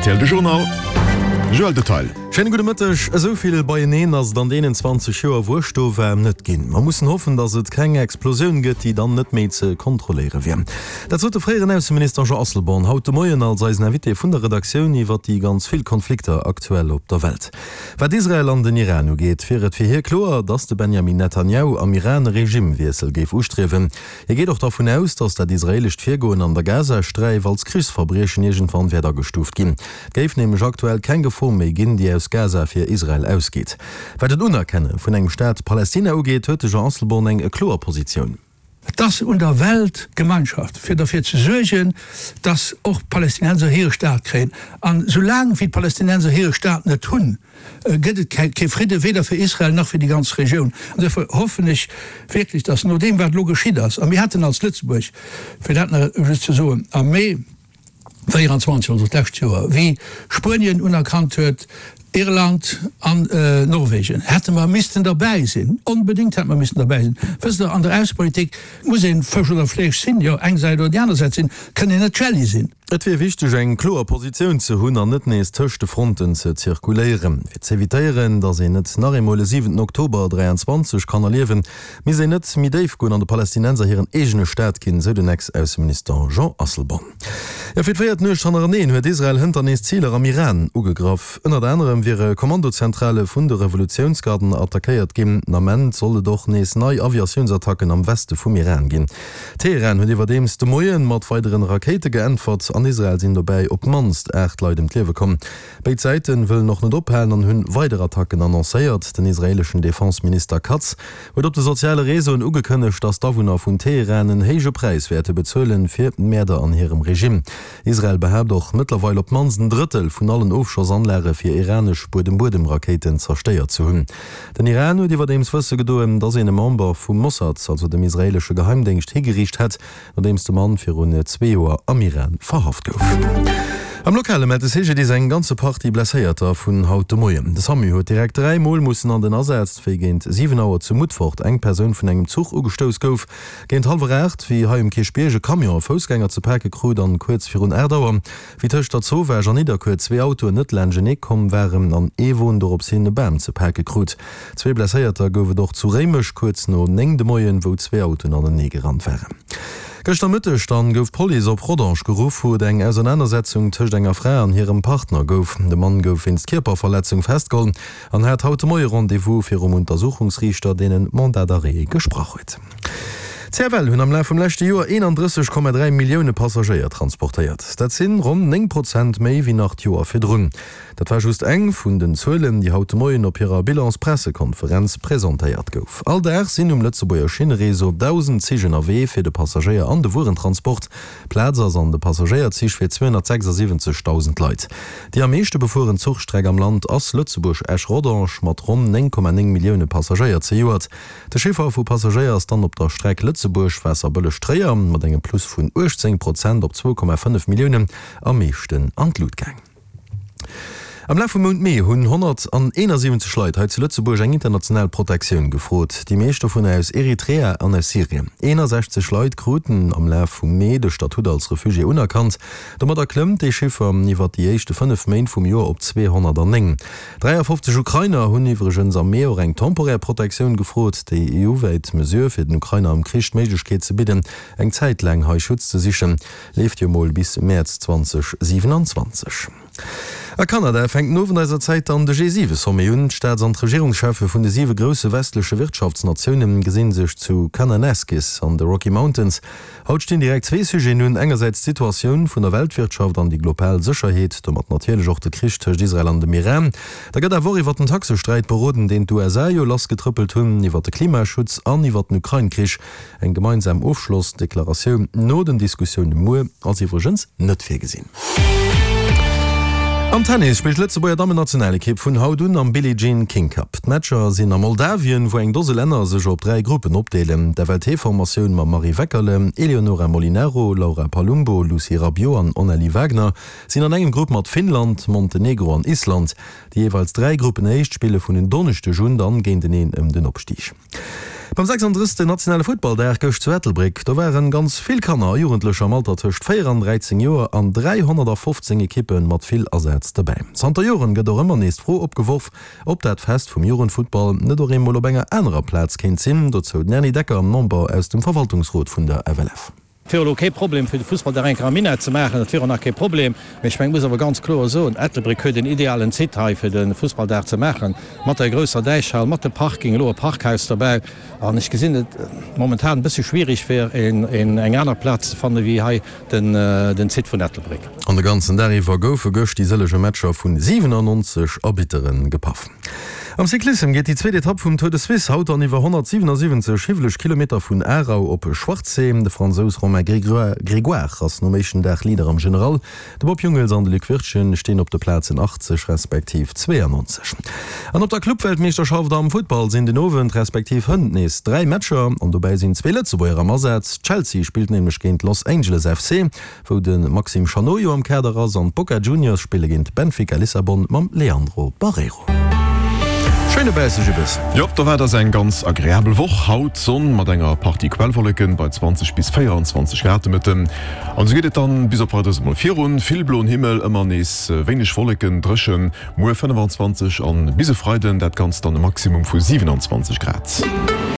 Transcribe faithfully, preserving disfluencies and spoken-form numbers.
R T L de Journal, Joël Detail. Schéine gudde Mëtteg. Esou vill beieneen ass et an deenen zwanzeg Joer wou ech do war net ginn. Mer mussen hoffen, datt et keng Explosioun gëtt, déi dann net méi ze kontrolléiere wier. Dat sot de fréieren Ausseminister Jean Asselborn haut de Moien als eisen Invité vun der Redaktioun iwwer déi ganz vill Konflikter aktuell op der Welt. Wat Israel an den Iran ugeet, wier et fir hie kloer, datt de Benjamin Netanjahu am Iran e Regimewiessel géif ustriewen. Hie geet och dervun aus, datt dat israeelescht Virgoen an der Gazasträif als Krichsverbriechen iergendwann wäert agestuuft ginn. Et géif nämlech aktuell keng Gefor méi ginn, déi aus Gaza fir Israel ausgeet. Wat den Unerkenne vun engem Staat Palästina ugeet, huet de Jean Asselborn eng kloer Positioun. Et ass un der Weltgemeinschaft, fir derfir ze suergen, dass och d'Palästinenser hire Staat kréien. An soulaang wéi d'Palästinenser hire Staat net hunn, gëtt et kee Fridde, weder fir Israel nach fir déi ganz Regioun. An duerfir hoffen ech wierklech, dass no deem, wat elo geschitt ass, a mir haten als Lëtzebuerg, fir dat nach just ze soen, am Mee véieranzwanzeg, also d'lescht Joer, wéi Spuenien unerkannt huet, Irland an Norwegen, hätte mer missten derbäi sinn, onbedéngt hätte mer missten derbäi sinn. Wësst Der, an der Aussepolitik muss ee Fësch oder Fleesch sinn, jo, eng Säit oder déi aner Säit sinn, kënn een net Jelli sinn. Et wier wichteg, eng kloer Positioun ze hunn an net nees tëscht de Fronten ze zirkuléieren. Fir z'evitéieren, datt een net nach eemol e siwenten Oktober dräianzwanzeg kann erliewen, misst een net méi déif goen an de Palästinenser hiren eegene Staat ginn, sou den Ex-Ausseminister Jean Asselborn. Jo, fir d'véiert Nuecht hannereneen huet Israel hënter nees Ziler am Iran ugegraff. Ënnert anerem wiere Kommandozentrale vun de Revolutiounsgarden attackéiert ginn. Den Ament soll et och nees nei Aviatiounsattacken am Weste vum Iran ginn. Teheran huet iwwerdeems de Moie mat weideren Rakéite geäntwert. An Israel sinn dobäi op d'mannst aacht Leit ëm d'Liewe komm. Béid Säite wëllen och net ophalen an hunn weider Attacken annoncéiert. Den israeeleschen Defense-Minister Katz huet op de soziale Reseauen ugekënnegt, datt d'Awunner vun Teheran en héije Präis wäerte bezuelen fir d'Mäerder an hirem Regime. Israel behaapt och, mëttlerweil op d'mannst en Drëttel vun allen Ofschossanlage fir iranesch Buedem-Buedem-Rakéiten zerstéiert ze hunn. Den Iran huet iwwerdeems wësse gedoen, datt een e Member vum Mossad, also dem israeelesche Geheimdéngscht, higeriicht hätt, nodeems de Mann virun zwee Joer am Iran verhaft gouf. Am Lokale mellt de C G D I S eng ganze Partie Blesséierter vun haut de Moien. De SAMU huet direkt dräi Mol mussen an den Asaz, wéi géint siwen Auer zu Mutfert eng Persoun vun engem Zuch ugestouss gouf. Géint hallwer aacht, wéi hei um Kierchbierg e Camion e Foussgänger ze pake krut an kuerz virun aacht Auer, wéi tëscht der Zowaasch an Nidderkuer zwee Autoen net laanschtenee komm waren an ee Won dorops hin e Bam ze pake krut. Zwee Blesséierter gouf et och zu Réimech kuerz no néng de Moien, wou zwee Autoen anenee gerannt waren. Gëschter Mëtteg dann gouf d'Police op Rodange geruff, wou et eng Ausernanersetzung tëscht enger Fra an hirem Partner gouf. De Mann gouf wéinst Kierperverletzung festgeholl an hat haut de Moie Rendez-vous virum Untersuchungsriichter, deen en Mandat d'arrêt gesprach huet. D' C F L hunn am Laf vum leschte Joer eenandrësseg Komma dräi Millioune Passagéier transportéiert. Dat sinn ronn néng Prozent méi wéi nach d'Joer virdrun. Dat war just eng vun den Zuelen, déi haut de Moien op hirer Bilanspressekonferenz presentéiert gouf. All Dag sinn um Lëtzebuerger Schinnereseau dausend Zich ënnerwee fir de Passagéier an de Wuerentransport. Plaz ass an de Passagéierzich fir zweehonnertsechsasiwwenzegdausend Leit. Déi am meeschte befueren Zuchstreck am Land ass Lëtzebuerg-Esch-Rodange mat ronn néng Komma néng Millioune Passagéier zejoert. De Chiffer vu Passagéier ass dann op der Streck Lëtzebuerg-Waasserbëlleg-Tréier mat engem Plus vun uechtzéng Prozent op zwou Komma fënnef Milliounen am meeschten an d'Lut gaang. Am Laf vum Mount Mee hunn honnerteenasiwwenzeg Leit hei zu Lëtzebuerg eng international Protektioun gefrot, déi meescht dovunner aus Eritrea an aus Syrien. Eenasechzeg Leit kruten am Laf vum Mee de Statut als Refugié unerkannt. Domadder klëmmt dee Chiffer iwwer déi éischte fënnef Méint vum Joer op zweehonnertnéng. Dräiafofzeg Ukrainer hunn iwwregens am Mee och eng temporär Protektioun gefrot, déi E U-wäit Mesure fir den Ukrainer am Krich d'Méiglechkeet ze bidden, eng Zäit laang hei Schutz ze sichen, leeft jo mol bis Mäerz zweedausendsiwenanzwanzeg. A Kanada fänkt den Owend eiser Zäit dann de G siwe Sommet un. D'Staats an d'Regierungscheffe vun de siwe grousse westleche Wirtschaftsnatioune gesi sech zu Kananaskis an de Rocky Mountains. Haut stinn direkt zwee Sujeten un, engersäits d'Situatioun vun der Weltwirtschaft an déi global Sécherheet, domat natierlech och de Krich tëscht Israel an dem Iran. Da gëtt awer och iwwer den Taxesträit beroden, deen d'U S A jo lassgetrëppelt hunn, iwwer de Klimaschutz an iwwer den Ukrain-Krich. Eng gemeinsam Ofschlossdeklaratioun no den Diskussioune muer ass iwwregens net virgesinn. Am Tennis spillt d'Lëtzebuerger Dammennationalekipp vun haut un am Billie Jean King Cup. D'Matcher sinn a Moldawien, wou eng Dose Länner sech op dräi Gruppen opdeelen. D'F L T-Formatioun mam Marie Weckerle, Eleonora Molinaro, Laura Palumbo, Lucie Rabiot an Onalie Wagner sinn an engem Grupp mat Finnland, Montenegro an Island. Déi jeeweils dräi Gruppenéischt spille vun en Donneschdeg un dann géinteneen ëm den Opstig. Beim sechsunddrëssegsten nationale Futtballdag gëscht zu Ettelbréck, do waren ganz vill Kanner a Jugendlecher am Alter tëscht véier an dräizéng Joer an dräihonnertafofzéng Ekippe mat vill Asaz dobäi. Zanter Joren gëtt och ëmmer nees d'Fro opgeworf, ob dat Fest vum Jugendfuttball net och eemol op enger anerer Plaz kéint sinn. Dozou den Erny Decker, Member aus dem Verwaltungsrot vun der F L F. Et wier elo kee Problem fir de Fussballdag eng Kéier am Minett ze maachen, dat wier och nach kee Problem. Mee ech mengen, et muss awer ganz kloer soen, Ettelbréck huet en idealen Site hei fir de Fussballdag ze maachen, mat der grousser Däichhal, mat de Parking, elo e Parkhaus derbäi. An ech gesinn et momentan e bësse schwierig fir eng aner Plaz ze fanne wéi hei den Site vun Ettelbréck. An de ganzen Dag iwwer goufe gëscht déi sëllege Matcher vun siwenannonzeg Arbitteren gepaff. Am Cyclissem geet déi zweet Etapp vum Tour de Suisse haut an iwwer honnertsiwenasiwwenzeg hiwweleg Kilometer vun Aarau op Schwarzsee. De Fransous Romain Grégoire ass nom éischten Dag Leader am General. De Bob Jungels an de Luc Wirtgen stinn op de Plazen achtzeg respektiv zweeannonzeg. An op der Clubweltmeeschterschaft am Futtball sinn den Owend respektiv hënt nees dräi Matcher an dobäi sinn zwee Lëtzebuerger am Asaz. Chelsea spillt nämlech géint Los Angeles F C, wou de Maxime Chanot jo am Kader ass, an d'Boca Juniors spille géint Benfica Lissabon mam Leandro Barreiro. Schéine bäissege Biss. Jop, do war et ass eng ganz agreabel Woch. Haut Sonn mat enger Partie Quellwolleken bei zwanzeg bis véierundzwanzeg Grad de Mëtten. An esou geet et dann bis op Weideres emol virun. Vill bloen Himmel, ëmmer nees wéineg Wolleken, dréchen. Muer fënnefanzwanzeg an bis e Freiden dat Ganzt dann e Maximum vu siwenanzwanzeg Grad.